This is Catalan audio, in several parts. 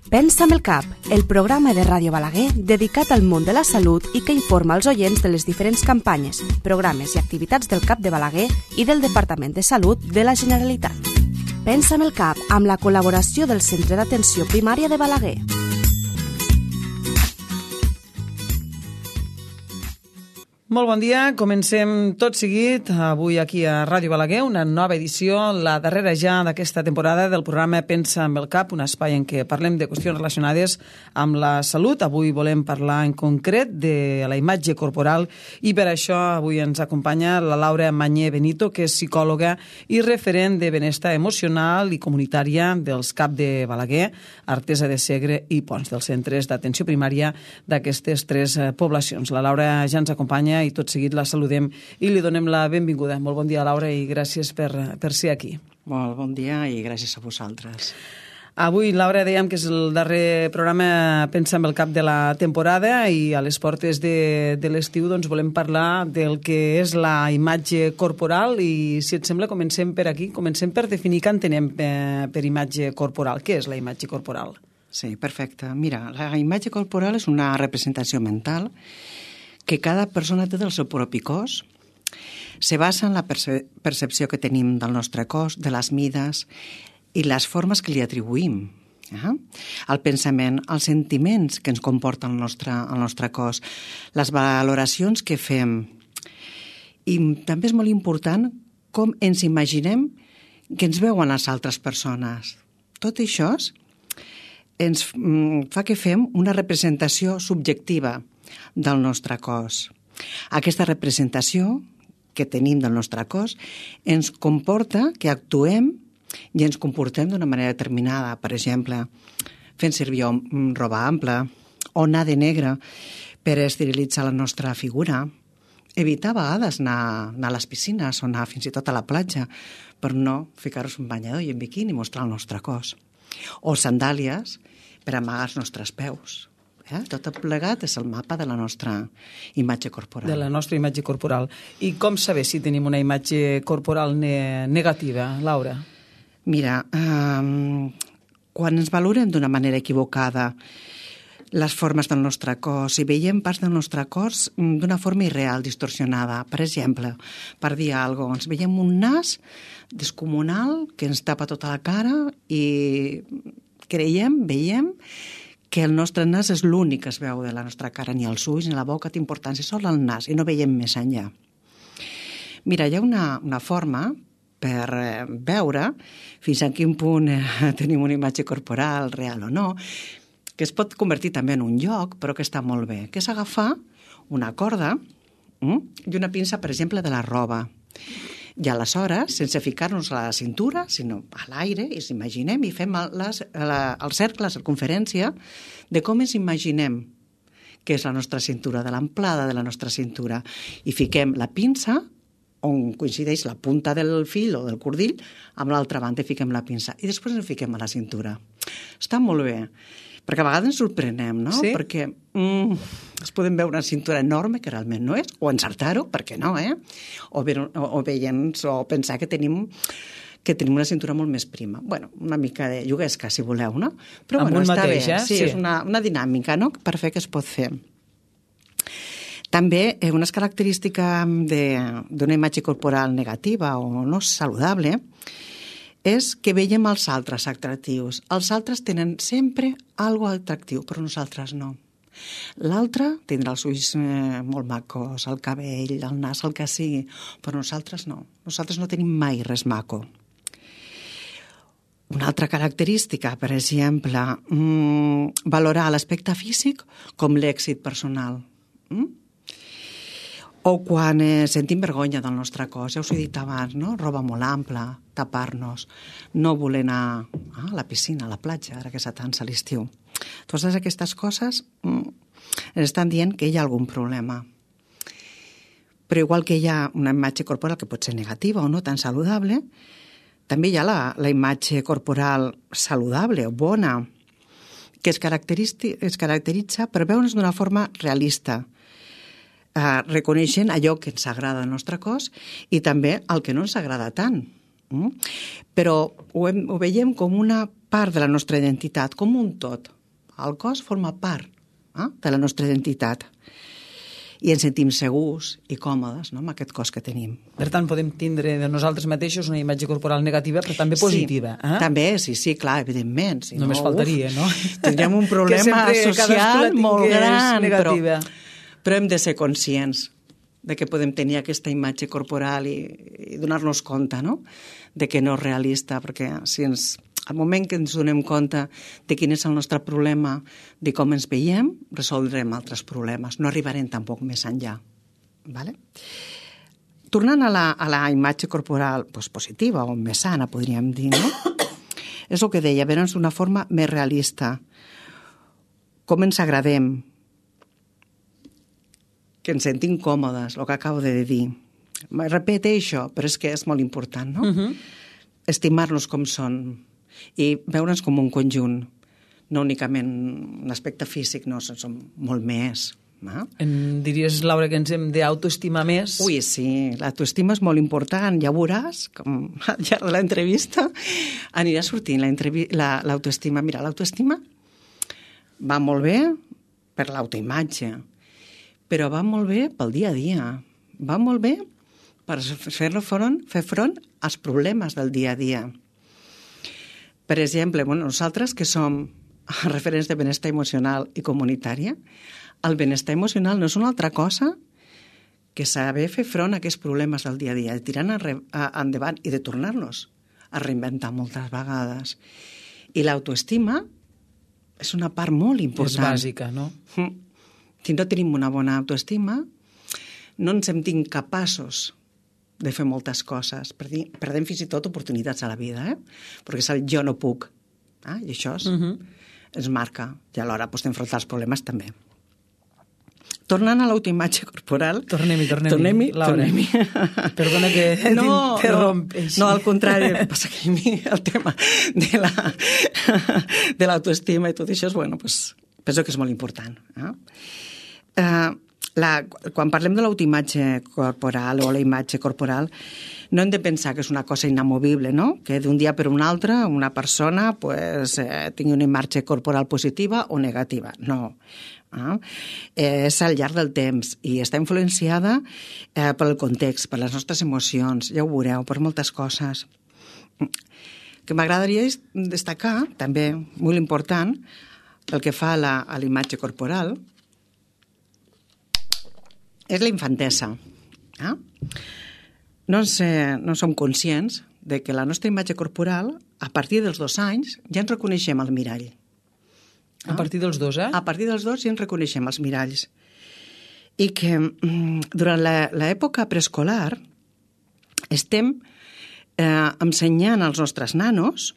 Pensa amb el cap, el programa de Ràdio Balaguer dedicat al món de la salut i que informa els oients de les diferents campanyes, programes i activitats del CAP de Balaguer i del Departament de Salut de la Generalitat. Pensa amb el cap, amb la col·laboració del Centre d'Atenció Primària de Balaguer. Molt bon dia, comencem tot seguit avui aquí a Ràdio Balaguer, una nova edició, la darrera ja d'aquesta temporada del programa Pensa amb el cap, un espai en què parlem de qüestions relacionades amb la salut. Avui volem parlar en concret de la imatge corporal i per això avui ens acompanya la Laura Mañé Benito, que és psicòloga i referent de benestar emocional i comunitària dels CAP de Balaguer, Artesa de Segre i Ponts, dels centres d'atenció primària d'aquestes tres poblacions. La Laura ja ens acompanya i tot seguit la saludem i li donem la benvinguda. Molt bon dia, Laura, i gràcies per ser aquí. Molt bon dia i gràcies a vosaltres. Avui, Laura, dèiem que és el darrer programa Pensa amb el cap de la temporada i a les portes de l'estiu doncs, volem parlar del que és la imatge corporal i, si et sembla, comencem per aquí. Comencem per definir què entenem per imatge corporal. Què és la imatge corporal? Sí, perfecte. Mira, la imatge corporal és una representació mental que cada persona té del seu propi cos, se basa en la percepció que tenim del nostre cos, de les mides i les formes que li atribuïm. El pensament, els sentiments que ens comporta el nostre cos, les valoracions que fem. I també és molt important com ens imaginem que ens veuen les altres persones. Tot això ens fa que fem una representació subjectiva del nostre cos. Aquesta representació que tenim del nostre cos ens comporta que actuem i ens comportem d'una manera determinada. Per exemple, fent servir roba ampla o anar de negre per esterilitzar la nostra figura. Evitar a vegades anar a les piscines o anar fins i tot a la platja per no ficar-nos un banyador i en biquini i mostrar el nostre cos. O sandàlies per amagar els nostres peus. Tot plegat és el mapa de la nostra imatge corporal. De la nostra imatge corporal. I com saber si tenim una imatge corporal negativa, Laura? Mira, quan ens valorem d'una manera equivocada les formes del nostre cos i veiem parts del nostre cos d'una forma irreal, distorsionada. Per exemple, per dir alguna cosa, ens veiem un nas descomunal que ens tapa tota la cara i veiem que el nostre nas és l'únic que es veu de la nostra cara, ni els ulls ni la boca té importància, sol el nas, i no veiem més enllà. Mira, hi ha una forma per veure fins a quin punt tenim una imatge corporal real o no, que es pot convertir també en un joc, però que està molt bé, que és agafar una corda i una pinça, per exemple, de la roba. I aleshores, sense ficar-nos a la cintura, sinó a l'aire, i ens imaginem i fem el cercle, la circunferència, de com ens imaginem que és la nostra cintura, de l'amplada de la nostra cintura. I fiquem la pinça on coincideix la punta del fil o del cordill amb l'altra banda i fiquem la pinça. I després ens fiquem a la cintura. Està molt bé, perquè a vegades ens sorprenem, no? Sí? Perquè es podem veure una cintura enorme, que realment no és, o encertar-ho, per què no, o pensar que tenim una cintura molt més prima. Bueno, una mica de lloguesca, si voleu, no? Però amb està mateix, bé. Sí, és una dinàmica, no?, per fer que es pot fer. També una característica d'una imatge corporal negativa o no saludable és que veiem els altres atractius. Els altres tenen sempre alguna cosa atractiu, però nosaltres no. L'altre tindrà els ulls molt macos, el cabell, el nas, el que sigui, però nosaltres no. Nosaltres no tenim mai res maco. Una altra característica, per exemple, valorar l'aspecte físic com l'èxit personal. O quan sentim vergonya del nostre cos, ja us ho he dit abans, no? Roba molt ampla, tapar-nos, no voler anar a la piscina, a la platja, ara que s'atansa l'estiu. Totes aquestes coses ens estan dient que hi ha algun problema. Però igual que hi ha una imatge corporal que pot ser negativa o no tan saludable, també hi ha la imatge corporal saludable o bona, que es caracteritza per veure's d'una forma realista, reconeixent allò que ens agrada al nostre cos i també el que no ens agrada tant. Però ho veiem com una part de la nostra identitat, com un tot. El cos forma part de la nostra identitat i ens sentim segurs i còmodes, no?, amb aquest cos que tenim. Per tant, podem tindre de nosaltres mateixos una imatge corporal negativa, però també positiva. Sí, també, sí, clar, evidentment. Si només faltaria, no? Tindríem un problema social molt gran, negativa. Però hem de ser conscients de que podem tenir aquesta imatge corporal i donar-nos compte, no?, de que no és realista, perquè al moment que ens donem compte de quin és el nostre problema, de com ens veiem, resoldrem altres problemes. No arribarem tampoc més enllà. Vale? Tornant a la imatge corporal positiva o més sana, podríem dir, no? És el que deia, veure'ns d'una forma més realista. Com ens agradem, que ens sentim còmodes, el que acabo de dir. Repeteixo, però és que és molt important, no? Estimar-nos com són i veure'ns com un conjunt, no únicament un aspecte físic, no, som molt més. Em diries, Laura, que ens hem d'autoestimar més? Ui, sí, l'autoestima és molt important, ja veuràs, com al llarg de l'entrevista anirà sortint l'autoestima. Mira, l'autoestima va molt bé per l'autoimatge, però va molt bé pel dia a dia, va molt bé per fer front als problemes del dia a dia. Per exemple, nosaltres que som referents de benestar emocional i comunitària, el benestar emocional no és una altra cosa que saber fer front a aquests problemes del dia a dia, de tirar endavant i de tornar-nos a reinventar moltes vegades. I l'autoestima és una part molt important. És bàsica, no? Si no tenim una bona autoestima, no ens sentim capaços de fer moltes coses. Perdem fins i tot oportunitats a la vida, perquè és el jo no puc. I això ens marca. I alhora d'enfrontar els problemes també. Tornant a l'autoimatge corporal... Tornem-hi, Laura. Perdona que t'interrompeixi. No, al contrari, passa que a mi el tema de l'autoestima i tot això, penso que és molt important. Quan parlem de l'autoimatge corporal o la imatge corporal, no hem de pensar que és una cosa inamovible, no? Que d'un dia per un altre una persona tingui una imatge corporal positiva o negativa. No. És al llarg del temps i està influenciada pel context, per les nostres emocions, ja ho veureu, per moltes coses. Que m'agradaria destacar, també molt important, pel que fa a la imatge corporal, és la infantesa. No som conscients de que la nostra imatge corporal, a partir dels 2 anys, ja ens reconeixem al mirall. A partir dels 2, A partir dels 2 ja ens reconeixem als miralls. I que durant l'època preescolar estem ensenyant als nostres nanos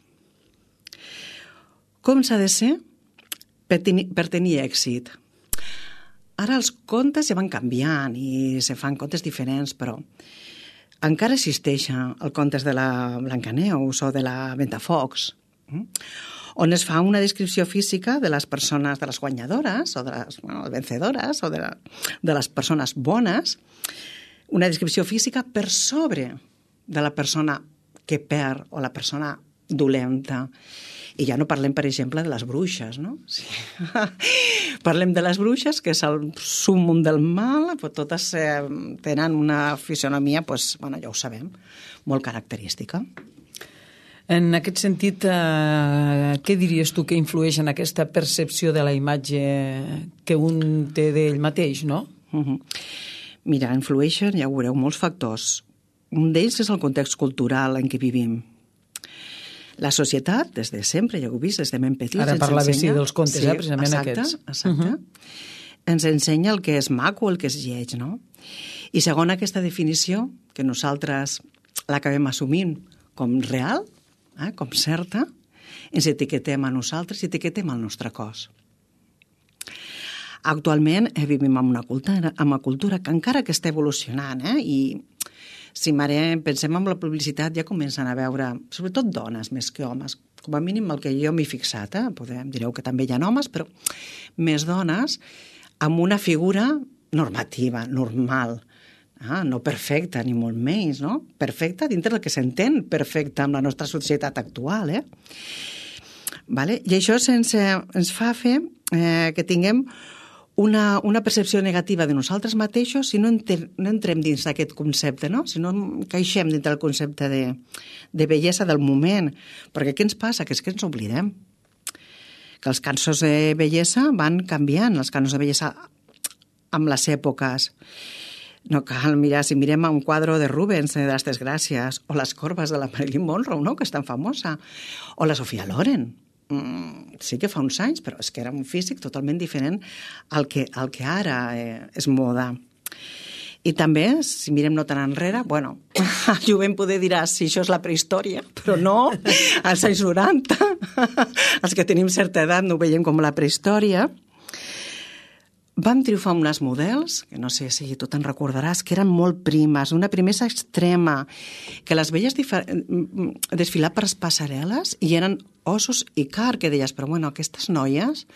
com s'ha de ser per tenir èxit. Ara els contes ja van canviant i se fan contes diferents, però encara existeix el contes de la Blancaneus o de la Ventafocs, on es fa una descripció física de les persones, de les guanyadores o de les vencedores o de les persones bones, una descripció física per sobre de la persona que perd o la persona dolenta. I ja no parlem, per exemple, de les bruixes, no? Sí. Parlem de les bruixes, que és el súmmum del mal, però totes tenen una fisionomia, ja ho sabem, molt característica. En aquest sentit, què diries tu que influeix en aquesta percepció de la imatge que un té d'ell mateix, no? Mira, influeixen, ja ho veureu, molts factors. Un d'ells és el context cultural en què vivim. La societat, des de sempre, ja ho he vist, des de ben petits... Ara parlava dels contes, precisament aquests. Exacte. Ens ensenya el que és maco, el que és lleig, no? I segons aquesta definició, que nosaltres l'acabem assumint com real, com certa, ens etiquetem a nosaltres i etiquetem el nostre cos. Actualment vivim en una cultura que encara que està evolucionant, i si pensem en la publicitat ja comencen a veure, sobretot dones més que homes, com a mínim el que jo m'he fixat, direu que també hi ha homes, però més dones amb una figura normativa, normal, no perfecta, ni molt menys, no? Perfecta dintre del que s'entén perfecta amb la nostra societat actual, Vale? I això ens fa fer que tinguem una percepció negativa de nosaltres mateixos si no entrem dins d'aquest concepte, no? Si no caixem dins del concepte de bellesa del moment. Perquè què ens passa? Que és que ens oblidem. Que els canons de bellesa van canviant, els canons de bellesa amb les èpoques. No cal mirar, si mirem un quadre de Rubens, de les Desgràcies, o les corbes de la Marilyn Monroe, no?, que és tan famosa, o la Sofia Loren. Sí que fa uns anys, però és que era un físic totalment diferent al que ara és moda. I també, si mirem no tan enrere, bueno, el jovent poder dirà si això és la prehistòria, però no, als anys 90, els que tenim certa edat no ho veiem com la prehistòria. Vam triomfar unes models, que no sé si tu te'n recordaràs, que eren molt primes, una primesa extrema, que les veies desfilar per les passarel·les i eren ossos i car, que deies, però bueno, aquestes noies,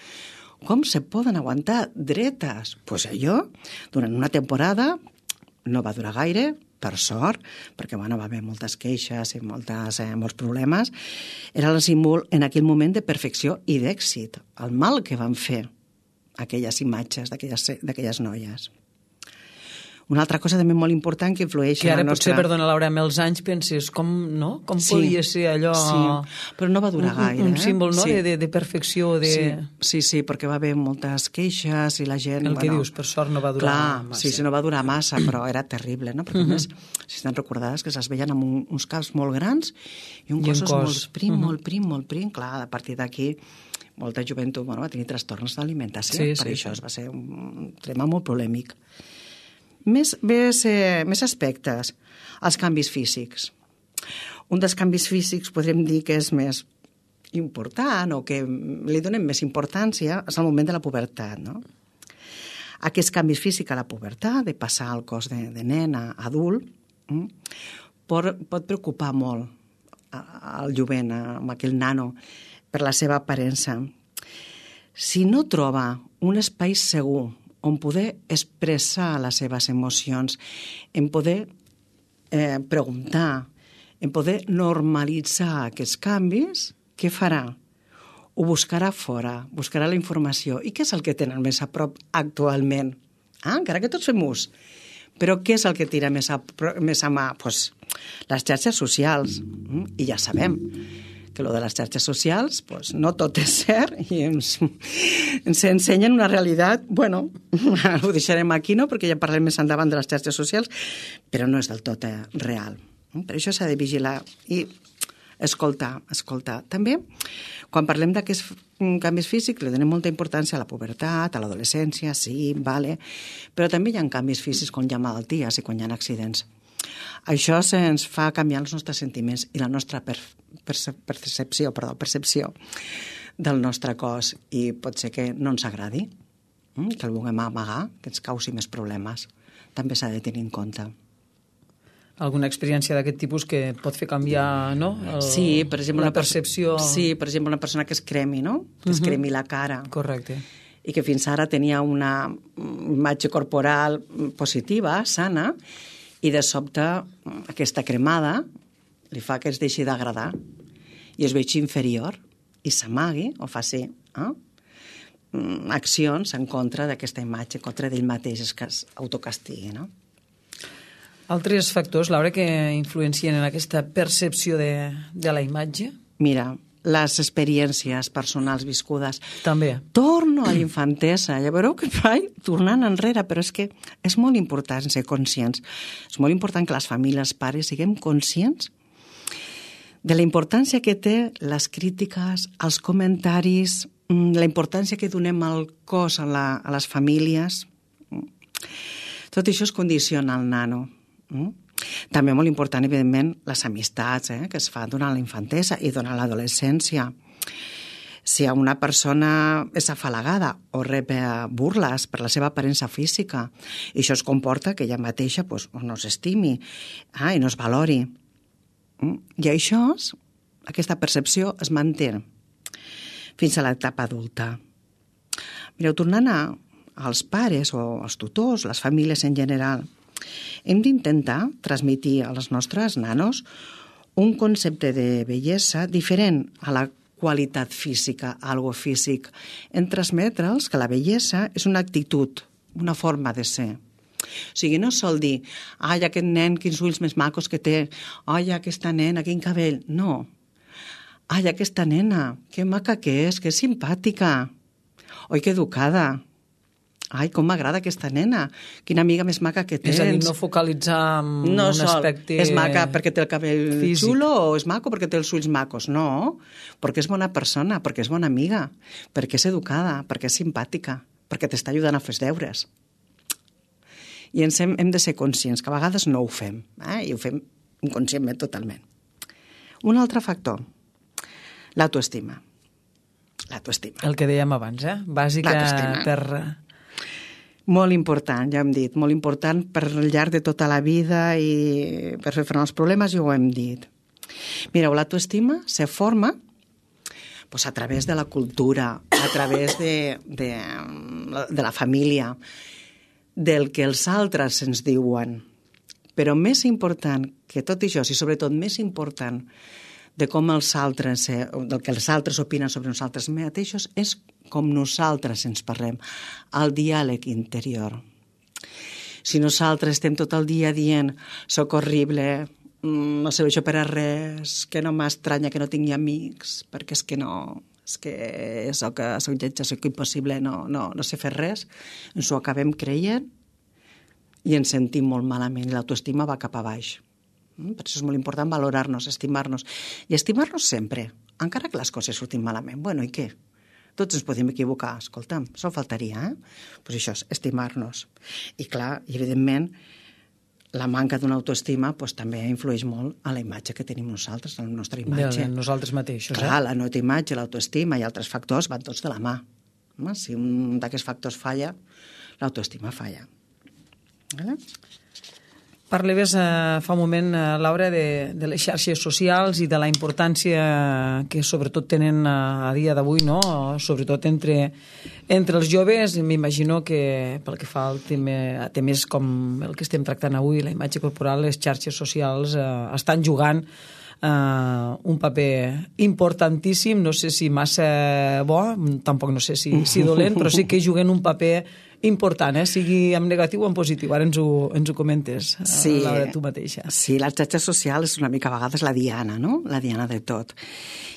com se poden aguantar dretes? Doncs allò, durant una temporada, no va durar gaire, per sort, perquè bueno, va haver moltes queixes i molts problemes, era el símbol en aquell moment de perfecció i d'èxit, el mal que van fer aquelles imatges d'aquelles noies. Una altra cosa també molt important que influeix que ara en la nostra... potser, perdona Laura, amb els anys penses com podia ser allò... Sí, però no va durar gaire. Un símbol, no?, sí. de perfecció, de... Sí, perquè va haver moltes queixes i la gent... El que dius, per sort no va durar massa. Sí, no va durar massa, però era terrible, no? Perquè a més, si te'n recordaves que es veien amb uns caps molt grans i un cos molt prim, clar, a partir d'aquí molta joventut va tenir trastorns d'alimentació, per això es va ser un tema molt polèmic. Més aspectes, els canvis físics. Un dels canvis físics podríem dir que és més important o que li donem més importància és el moment de la pubertat, no? Aquests canvis físics a la pubertat, de passar al cos de nen a adult, pot preocupar molt al jovent, amb aquell nano, per la seva aparença. Si no troba un espai segur on poder expressar les seves emocions, en poder preguntar, en poder normalitzar aquests canvis, què farà? Ho buscarà fora, buscarà la informació. I què és el que tenen més a prop actualment? Encara que tots fem ús. Però què és el que tira més a mà? Pues, les xarxes socials. I ja sabem que lo de les xarxes socials, pues, no tot és cert i ens ensenyen una realitat, bueno, ho deixarem aquí, no?, perquè ja parlem més endavant de les xarxes socials, però no és del tot real. Per això s'ha de vigilar i escoltar. També, quan parlem d'aquests canvis físics, li donem molta importància a la pubertat, a l'adolescència, sí, vale, però també hi ha canvis físics quan hi ha malalties i quan hi ha accidents. Això ens fa canviar els nostres sentiments i la nostra percepció del nostre cos i pot ser que no ens agradi, que el vulguem amagar, que ens causi més problemes. També s'ha de tenir en compte. Alguna experiència d'aquest tipus que pot fer canviar, no? Sí, per exemple, la percepció... Sí, per exemple, una persona que es cremi, no? Que es cremi la cara. Correcte. I que fins ara tenia una imatge corporal positiva, sana, i de sobte aquesta cremada li fa que es deixi d'agradar i es vegi inferior i s'amagui o faci accions en contra d'aquesta imatge, en contra d'ell mateix, que es autocastigui, no? Altres factors, Laura, que influencien en aquesta percepció de la imatge? Mira, les experiències personals viscudes. També. Torno a l'infantesa. Ja veureu que vaig tornant enrere, però és que és molt important ser conscients. És molt important que les famílies, pares, siguem conscients de la importància que té les crítiques, els comentaris, la importància que donem al cos a les famílies. Tot això es condiciona al nano. També molt important, evidentment, les amistats que es fan durant la infantesa i durant l'adolescència. Si una persona és afalagada o rep burles per la seva aparença física, i això es comporta que ella mateixa no s'estimi i no es valori. I això, aquesta percepció es manté fins a l'etapa adulta. Mireu, tornant als pares o als tutors, les famílies en general, hem d'intentar transmetre als nostres nanos un concepte de bellesa diferent a la qualitat física, algo físic. En transmetre'ls que la bellesa és una actitud, una forma de ser. O sigui, no sol dir, ai, aquest nen, quins ulls més macos que té, ai, aquesta nena, quin cabell. No. Ai, aquesta nena, que maca que és simpàtica. Oi, que educada. Ai, com m'agrada aquesta nena. Quina amiga més maca que tens. És a dir, no focalitzar en un aspecte és maca perquè té el cabell físic. xulo o és maco perquè té els ulls macos. No, perquè és bona persona, perquè és bona amiga, perquè és educada, perquè és simpàtica, perquè t'està ajudant a fer els deures. I hem de ser conscients, que a vegades no ho fem, i ho fem inconscientment totalment. Un altre factor, l'autoestima. L'autoestima. El que dèiem abans, bàsica per... Molt important, ja hem dit, molt important per al llarg de tota la vida i per fer front als problemes, ja ho hem dit. Mireu, l'autoestima se forma a través de la cultura, a través de la família, del que els altres ens diuen. Però més important que tot això, i sobretot més important de com els altres, del que els altres opinen sobre nosaltres mateixos, és com nosaltres ens parlem, el diàleg interior. Si nosaltres estem tot el dia dient soc horrible, no serveixo per a res, que no m'estranya que no tingui amics, perquè és que no, és que soc lletja, soc impossible, no sé fer res, ens ho acabem creient i ens sentim molt malament i l'autoestima va cap a baix. Per això és molt important valorar-nos, estimar-nos. I estimar-nos sempre, encara que les coses surtin malament. Bueno, i què? Tots ens podem equivocar, escolta'm, això faltaria, Doncs això és estimar-nos. I clar, evidentment, la manca d'una autoestima també influeix molt a la imatge que tenim nosaltres, a la nostra imatge. De nosaltres mateixos. Clar, la nostra imatge, l'autoestima i altres factors van tots de la mà. Si un d'aquests factors falla, l'autoestima falla. Vale? Parlaves fa un moment, Laura, de les xarxes socials i de la importància que sobretot tenen a dia d'avui, no? Sobretot entre els joves. M'imagino que pel que fa al temes com el que estem tractant avui, la imatge corporal, les xarxes socials estan jugant un paper importantíssim, no sé si massa bo, tampoc no sé si dolent, però sí que juguen un paper important, sigui en negatiu o en positiu. Ara ens ho comentes, Laura, tu mateixa. Sí, les xarxes socials és una mica a vegades la diana, no? La diana de tot.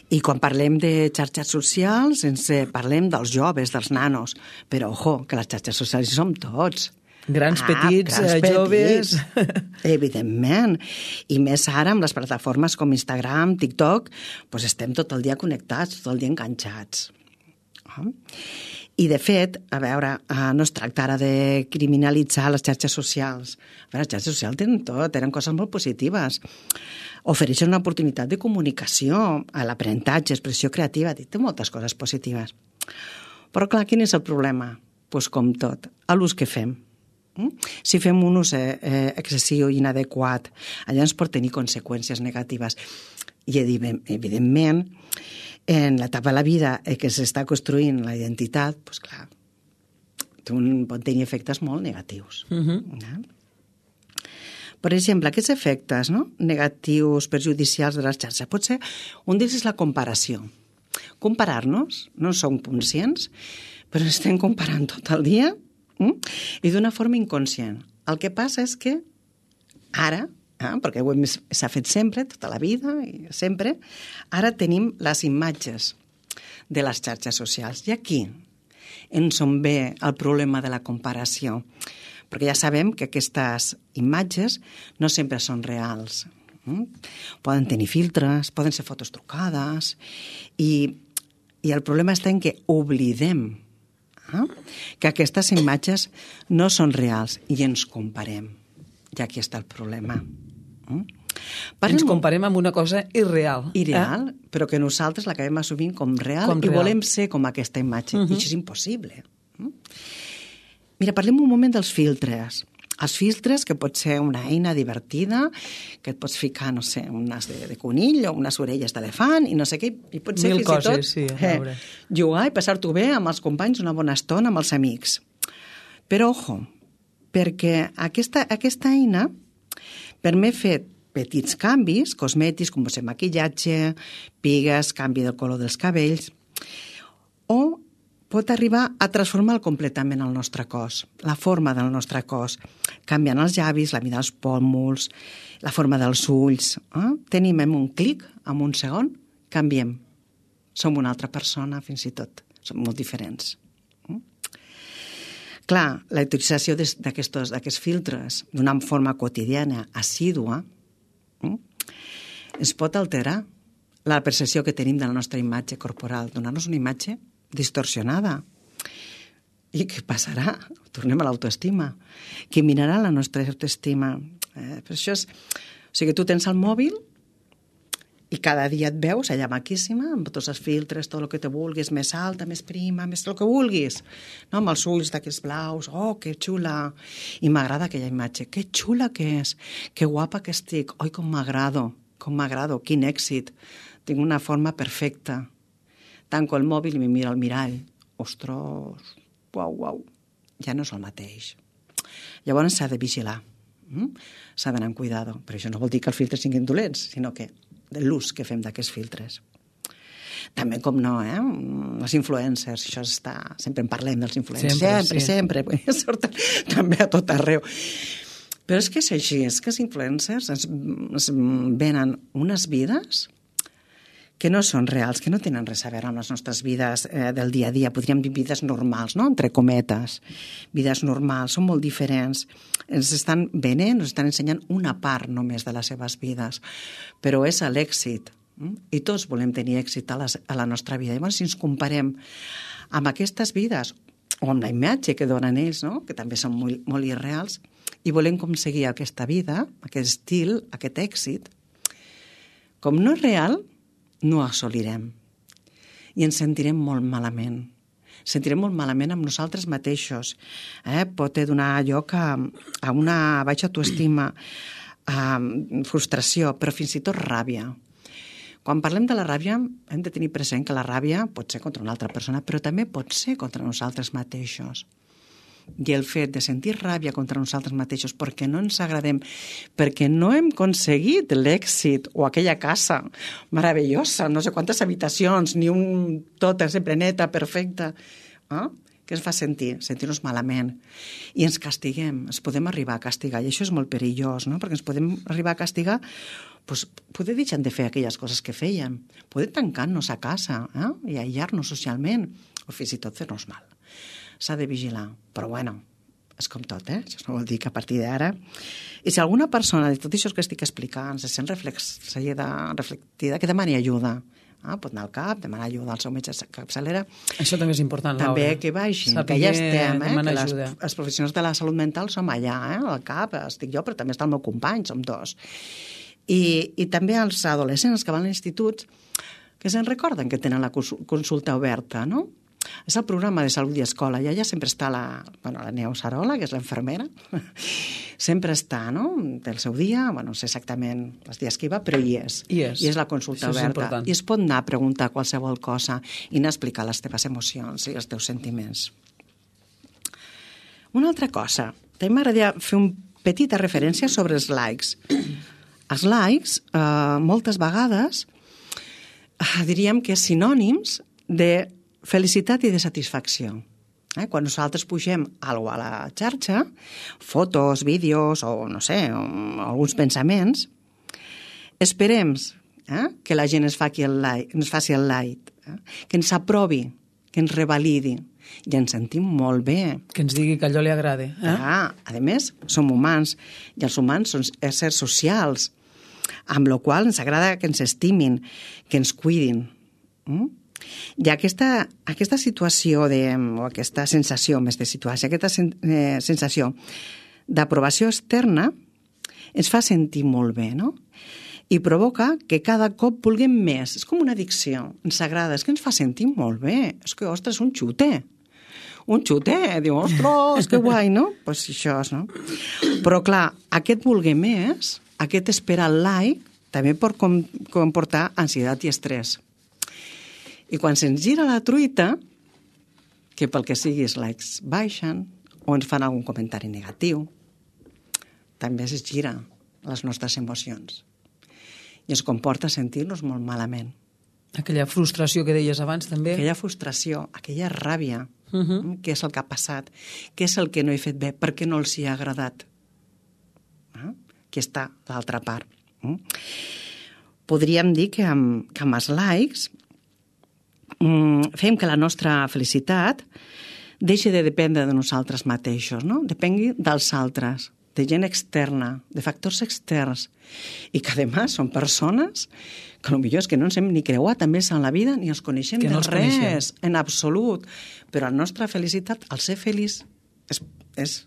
I quan parlem de xarxes socials, parlem dels joves, dels nanos, però, ojo, que les xarxes socials hi som tots. Grans, petits, joves... Evidentment. I més ara amb les plataformes com Instagram, TikTok, estem tot el dia connectats, tot el dia enganxats. I, de fet, a veure, no es tracta ara de criminalitzar les xarxes socials. A veure, les xarxes socials tenen tot, tenen coses molt positives. Ofereixen una oportunitat de comunicació, a l'aprenentatge, expressió creativa, té moltes coses positives. Però, clar, quin és el problema? Doncs com tot, a l'ús que fem. Si fem un ús excessiu i inadequat, allà ens pot tenir conseqüències negatives. I, evidentment, en l'etapa de la vida que s'està construint la identitat, doncs clar, pot tenir efectes molt negatius. Per exemple, aquests efectes negatius, perjudicials de les xarxes, pot ser, un d'ells és la comparació. Comparar-nos, no som conscients, però estem comparant tot el dia i d'una forma inconscient. El que passa és que ara, perquè s'ha fet sempre, tota la vida, i sempre, ara tenim les imatges de les xarxes socials. I aquí ens on ve el problema de la comparació. Perquè ja sabem que aquestes imatges no sempre són reals. Poden tenir filtres, poden ser fotos trucades, i el problema està en que oblidem que aquestes imatges no són reals i ens comparem. I aquí està el problema. Ens comparem amb una cosa irreal. Irreal, però que nosaltres l'acabem assumint com real i volem ser com aquesta imatge. I això és impossible. Mira, parlem un moment dels filtres. Els filtres, que pot ser una eina divertida, que et pots ficar, no sé, un nas de conill o unes orelles d'elefant i no sé què, i pot ser fins i tot jugar i passar-t'ho bé amb els companys una bona estona amb els amics. Però, ojo, perquè aquesta eina permet fer petits canvis cosmètics, com ser maquillatge, pigues, canvi del color dels cabells, o pot arribar a transformar completament el nostre cos, la forma del nostre cos, canviant els llavis, la mida dels pòmuls, la forma dels ulls. Tenim un clic, en un segon, canviem. Som una altra persona, fins i tot. Som molt diferents. Clar, la utilització d'aquests filtres d'una forma quotidiana, assídua, es pot alterar la percepció que tenim de la nostra imatge corporal, donar-nos una imatge distorsionada. I què passarà? Tornem a l'autoestima. Qui mirarà la nostra autoestima? Per això és... O sigui, tu tens el mòbil i cada dia et veus allà maquíssima, amb tots els filtres, tot el que te vulguis, més alta, més prima, més el que vulguis, no? Amb els ulls d'aquests blaus, oh, que xula, i m'agrada aquella imatge, que xula que és, que guapa que estic, oi, com m'agrado, quin èxit, tinc una forma perfecta. Tanco el mòbil i me miro al mirall, ostres, uau, ja no és el mateix. Llavors s'ha de vigilar, s'ha d'anar amb cuidado, però això no vol dir que els filtres siguin dolents, sinó que de l'ús que fem d'aquests filtres. També, com no, els influencers, això està... Sempre en parlem dels influencers, sempre. Surten també a tot arreu. Però és que és així, és que els influencers ens venen unes vides que no són reals, que no tenen res a veure amb les nostres vides del dia a dia. Podríem dir vides normals, no?, entre cometes. Vides normals, són molt diferents. Ens estan venent, ens estan ensenyant una part només de les seves vides. Però és l'èxit. I tots volem tenir èxit a la nostra vida. Llavors, si ens comparem amb aquestes vides, o amb la imatge que donen ells, no?, que també són molt irreals, i volem aconseguir aquesta vida, aquest estil, aquest èxit, com no és real, no assolirem. I ens sentirem molt malament. Sentirem molt malament amb nosaltres mateixos. Pot donar lloc a una baixa autoestima, a frustració, però fins i tot ràbia. Quan parlem de la ràbia, hem de tenir present que la ràbia pot ser contra una altra persona, però també pot ser contra nosaltres mateixos. I el fet de sentir ràbia contra nosaltres mateixos perquè no ens agradem, perquè no hem aconseguit l'èxit o aquella casa meravellosa, no sé quantes habitacions, ni tota sempre neta, perfecta, què ens fa sentir? Sentir-nos malament. I ens castiguem, ens podem arribar a castigar, i això és molt perillós, no? Perquè ens podem arribar a castigar, doncs, poder deixar de fer aquelles coses que fèiem, poder tancar-nos a casa i aïllar-nos socialment, o fins i tot fer-nos mal. S'ha de vigilar, però bueno, és com tot, això no vol dir que a partir d'ara... I si alguna persona de tot això que estic explicant se sent reflectida, que demani ajuda. Pot anar al CAP, demanar ajuda al seu metge de capçalera. Això també és important, Laura. També que baixin, que ja estem, que els professionals de la salut mental som allà, al CAP, estic jo, però també està el meu company, som dos. I també els adolescents que van a l'institut, que se'n recorden que tenen la consulta oberta, no? És el programa de salut i escola, i allà sempre està la Neus Arola, que és l'infermera, sempre està, no?, del seu dia, no sé exactament els dies que hi va, però hi és. I és la consulta oberta. I es pot anar a preguntar qualsevol cosa i anar a explicar les teves emocions i els teus sentiments. Una altra cosa, també m'agradaria fer una petita referència sobre els likes. Els likes, moltes vegades, diríem que és sinònims de felicitat i de satisfacció. Quan nosaltres pugem alguna cosa a la xarxa, fotos, vídeos o, no sé, alguns pensaments, esperem que la gent ens faci el like, que ens aprovi, que ens revalidi, i ens sentim molt bé. Que ens digui que allò li agrada. A més, som humans, i els humans són éssers socials, amb la qual ens agrada que ens estimin, que ens cuidin. I aquesta situació, o aquesta sensació, més de situació, aquesta sensació d'aprovació externa ens fa sentir molt bé, no? I provoca que cada cop vulguem més. És com una addicció. Ens agrada, és que ens fa sentir molt bé. És que, ostres, un xute. Diu, ostres, que guai, no? Doncs això és, no? Però, clar, aquest voler més, aquest esperar el like, també pot comportar ansietat i estrès. I quan se'ns gira la truita, que pel que sigui els likes baixen o ens fan algun comentari negatiu, també es gira les nostres emocions. I ens comporta sentir-nos molt malament. Aquella frustració que deies abans, també. Aquella frustració, aquella ràbia, què és el que ha passat, què és el que no he fet bé, per què no els hi ha agradat. Aquí està l'altra part. Podríem dir que amb els likes fem que la nostra felicitat deixi de dependre de nosaltres mateixos, no? Depengui dels altres, de gent externa, de factors externs, i que, a més, són persones que potser és que no ens hem ni creuat amb ells en la vida, ni els coneixem de res, en absolut. Però la nostra felicitat, al ser feliç, és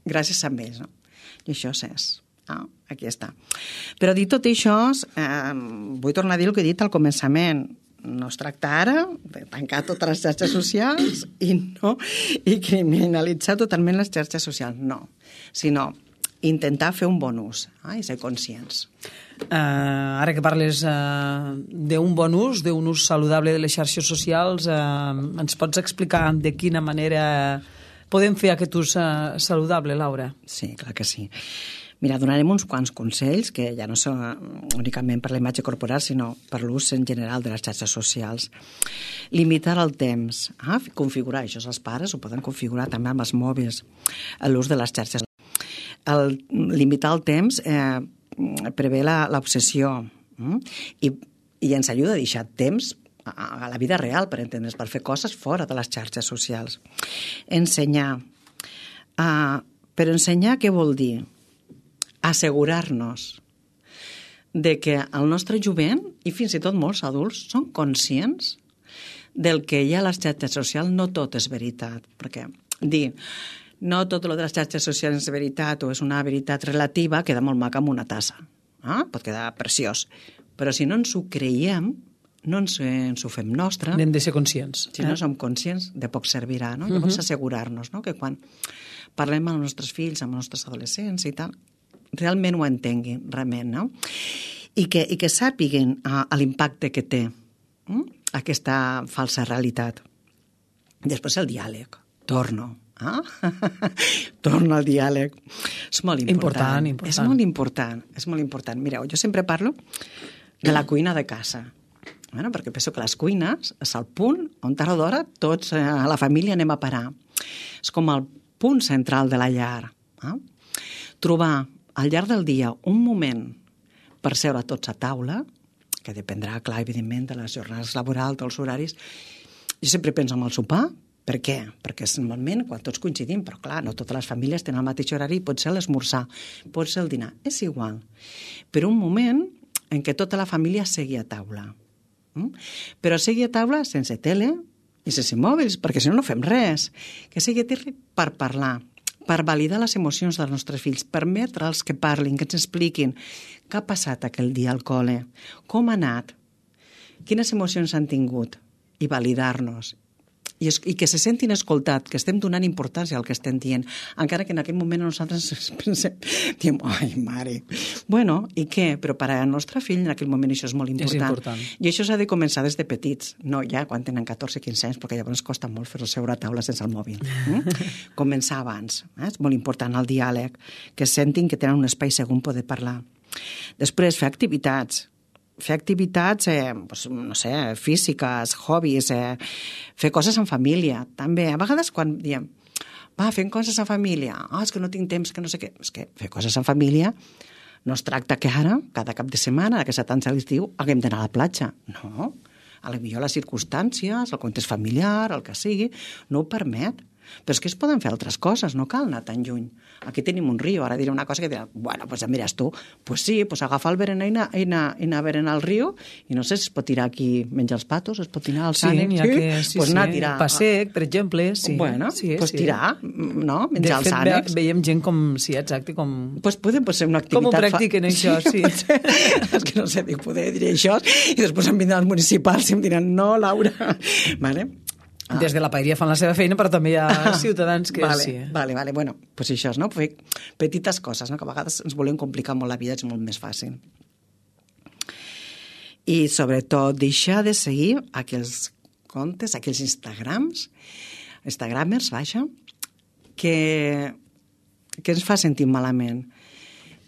gràcies a ells, no? I això és... aquí està. Però dit tot això, vull tornar a dir el que he dit al començament. No es tracta ara de tancar totes les xarxes socials i criminalitzar totalment les xarxes socials, no. Sinó intentar fer un bon ús i ser conscients. Ara que parles d'un bon ús, d'un ús saludable de les xarxes socials, ens pots explicar de quina manera podem fer aquest ús saludable, Laura? Sí, clar que sí. Mira, donarem uns quants consells, que ja no són únicament per la imatge corporal, sinó per l'ús en general de les xarxes socials. Limitar el temps, configurar, això els pares ho poden configurar també amb els mòbils, l'ús de les xarxes. Limitar el temps prevé l'obsessió i ens ajuda a deixar temps a la vida real, per entendre's, per fer coses fora de les xarxes socials. Ensenyar. Però ensenyar què vol dir? Assegurar-nos de que el nostre jovent, i fins i tot molts adults, són conscients del que hi ha a les xarxes socials. No tot és veritat, perquè dir no tot el de les xarxes socials és veritat o és una veritat relativa queda molt maca amb una tassa. Pot quedar preciós. Però si no ens ho creiem, no ens ho fem nostre... N'hem de ser conscients. Si no som conscients, de poc servirà, no? Llavors assegurar-nos, no?, que quan parlem amb els nostres fills, amb els nostres adolescents i tal, realment ho entenguin, realment, no? I que sàpiguen l'impacte que té aquesta falsa realitat. Després el diàleg. Torno al diàleg. És molt important. És molt important. És molt important. Mireu, jo sempre parlo de la cuina de casa. Bueno, perquè penso que les cuines és el punt on tard o d'hora tots a la família anem a parar. És com el punt central de la llar. Trobar al llarg del dia un moment per seure tots a taula, que dependrà, clar, evidentment, de les jornades laborals, dels horaris. Jo sempre penso en el sopar. Per què? Perquè és normalment quan tots coincidim, però clar, no totes les famílies tenen el mateix horari, pot ser l'esmorzar, pot ser el dinar, és igual. Però un moment en què tota la família segui a taula. Però segui a taula sense tele i sense mòbils, perquè si no, no fem res. Que segui a taula per parlar, per validar les emocions dels nostres fills, permetre'ls que parlin, que ens expliquin què ha passat aquell dia al col·le, com ha anat, quines emocions han tingut, i validar-nos. I que se sentin escoltat, que estem donant importància al que estem dient, encara que en aquell moment nosaltres pensem, diem, ai, mare, bueno, i què? Però per al nostre fill en aquell moment això és molt important. És important. I això s'ha de començar des de petits, no ja quan tenen 14-15 anys, perquè llavors costa molt fer-los seure a taula sense el mòbil. Començar abans, és molt important el diàleg, que sentin que tenen un espai segur on poder parlar. Després, fer activitats, no sé, físiques, hobbies, fer coses en família, també. A vegades quan diem, fem coses en família, és que no tinc temps, que no sé què. És que fer coses en família no es tracta que ara, cada cap de setmana, que s'atança l'estiu, haguem d'anar a la platja. No, potser les circumstàncies, el context familiar, el que sigui, no ho permet. Però és que es poden fer altres coses, no cal anar tan lluny. Aquí tenim un riu, ara diré una cosa que dirà, bueno, pues ja mires tu, pues sí, pues agafa el berenar i anar a berenar al riu, i no sé si es pot tirar aquí, menjar els patos, es pot tirar al sànic, pues anar a tirar. Passec, per exemple, sí. Bueno, pues tirar, no? Menjar els ànecs. De fet, veiem gent com, sí, exacte, com... Pues pot ser una activitat... Com ho practiquen això, sí. És que no sé, poder dir això, i després em vindran els municipals i em diran, no, Laura, vale? Des de la paeria fan la seva feina, però també hi ha ciutadans que sí. Vale. Bueno, pues això, no? Fer petites coses, no? Que a vegades ens volem complicar molt la vida, és molt més fàcil. I, sobretot, deixar de seguir aquells comptes, aquells instagramers, que ens fa sentir malament.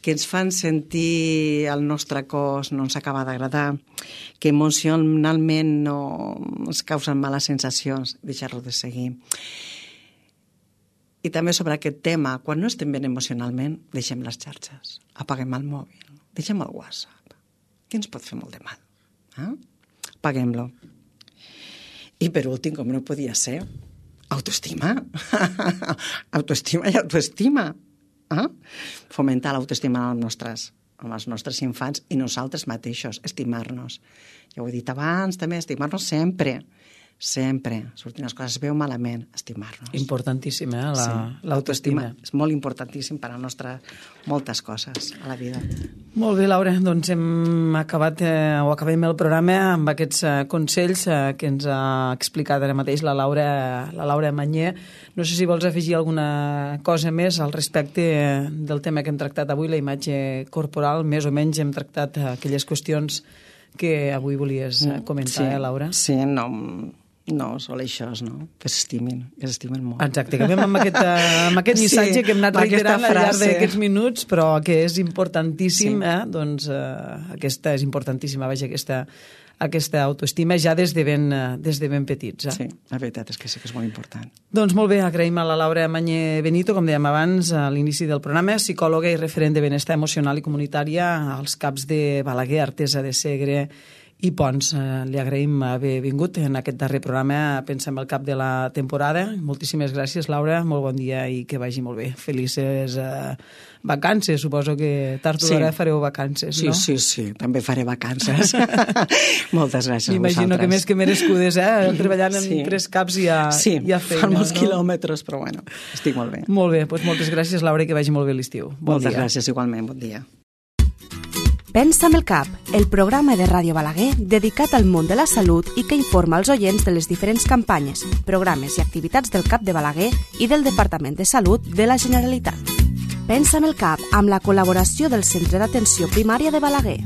que ens fan sentir el nostre cos no ens acaba d'agradar, que emocionalment no ens causen males sensacions, deixar-lo de seguir. I també sobre aquest tema, quan no estem bé emocionalment, deixem les xarxes, apaguem el mòbil, deixem el WhatsApp, que ens pot fer molt de mal. Apaguem-lo. I per últim, com no podia ser, autoestima. Autoestima i autoestima. Fomentar l'autoestima amb els nostres infants i nosaltres mateixos, estimar-nos. Ja ho he dit abans, també, estimar-nos sempre. Sempre. Sortint les coses veu malament, estimar-nos. Importantíssim, l'autoestima. És molt importantíssim per a moltes coses a la vida. Molt bé, Laura, doncs acabem el programa amb aquests consells que ens ha explicat ara mateix la Laura Mañé. No sé si vols afegir alguna cosa més al respecte del tema que hem tractat avui, la imatge corporal. Més o menys hem tractat aquelles qüestions que avui volies comentar, Laura? Sí, no, sol això, no? Que s'estimin molt. Exacte, acabem amb aquest missatge que hem anat reiterant al llarg d'aquests minuts, però que és importantíssim, doncs aquesta és importantíssima, vaja, aquesta autoestima ja des de ben petits. Sí, la veritat és que sí que és molt important. Doncs molt bé, agraïm a la Laura Mañé Benito, com dèiem abans, a l'inici del programa, psicòloga i referent de benestar emocional i comunitària als CAPs de Balaguer, Artesa de Segre i Pons. Li agraïm haver vingut en aquest darrer programa, pensem el cap de la temporada. Moltíssimes gràcies, Laura, molt bon dia i que vagi molt bé. Felices vacances, suposo que tard o d'hora fareu vacances, no? Sí, també faré vacances. Moltes gràcies a vosaltres. M'imagino que més que merescudes, treballant en 3 CAPs hi ha feina. Sí, fan molts quilòmetres, però bueno, estic molt bé. Molt bé, doncs moltes gràcies, Laura, i que vagi molt bé l'estiu. Moltes gràcies, igualment, bon dia. Pensa amb el cap, el programa de Ràdio Balaguer dedicat al món de la salut i que informa els oients de les diferents campanyes, programes i activitats del CAP de Balaguer i del Departament de Salut de la Generalitat. Pensa amb el cap amb la col·laboració del Centre d'Atenció Primària de Balaguer.